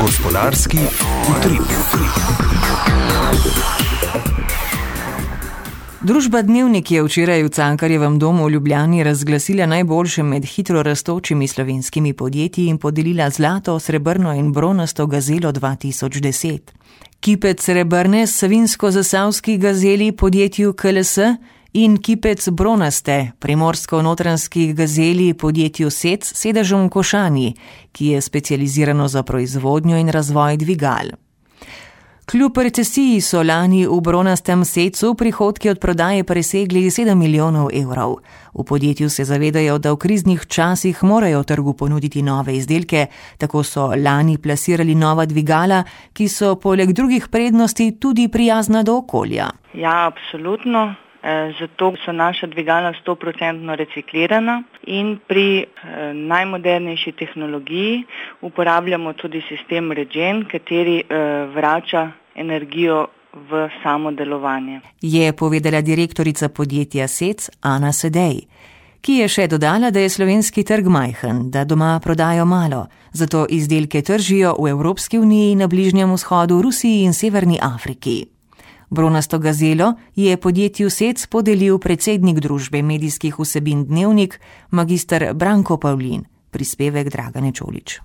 Gospodarski utrip. Družba Dnevnik je včeraj v Cankarjevem domu v Ljubljani razglasila najboljše med hitro rastočimi slovenskimi podjetji in podelila zlato, srebrno in bronasto gazelo 2010. Kipec srebrne savinsko-zasavski gazeli podjetju KLS in kipec bronaste primorsko-notranskih gazeli podjetju SEC s sedežem v Košani, ki je specializirano za proizvodnjo in razvoj dvigal. Kljub recesiji so lani v bronastem SEC-u prihodki od prodaje presegli 7 milijonov evrov. V podjetju se zavedajo, da v kriznih časih morajo trgu ponuditi nove izdelke, tako so lani plasirali nova dvigala, ki so poleg drugih prednosti tudi prijazna do okolja. Ja, absolutno. Zato so naša dvigala 100% reciklirana in pri najmodernejši tehnologiji uporabljamo tudi sistem Regen, kateri vrača energijo v samo delovanje. Je povedala direktorica podjetja SEC Ana Sedej, ki je še dodala, da je slovenski trg majhen, da doma prodajo malo, zato izdelke tržijo v Evropski uniji, na Bližnjem vzhodu, Rusiji in Severni Afriki. Bronasto gazelo je podjetju SEC podelil predsednik družbe medijskih vsebin Dnevnik, magister Branko Pavlin, prispevek Dragane Čolić.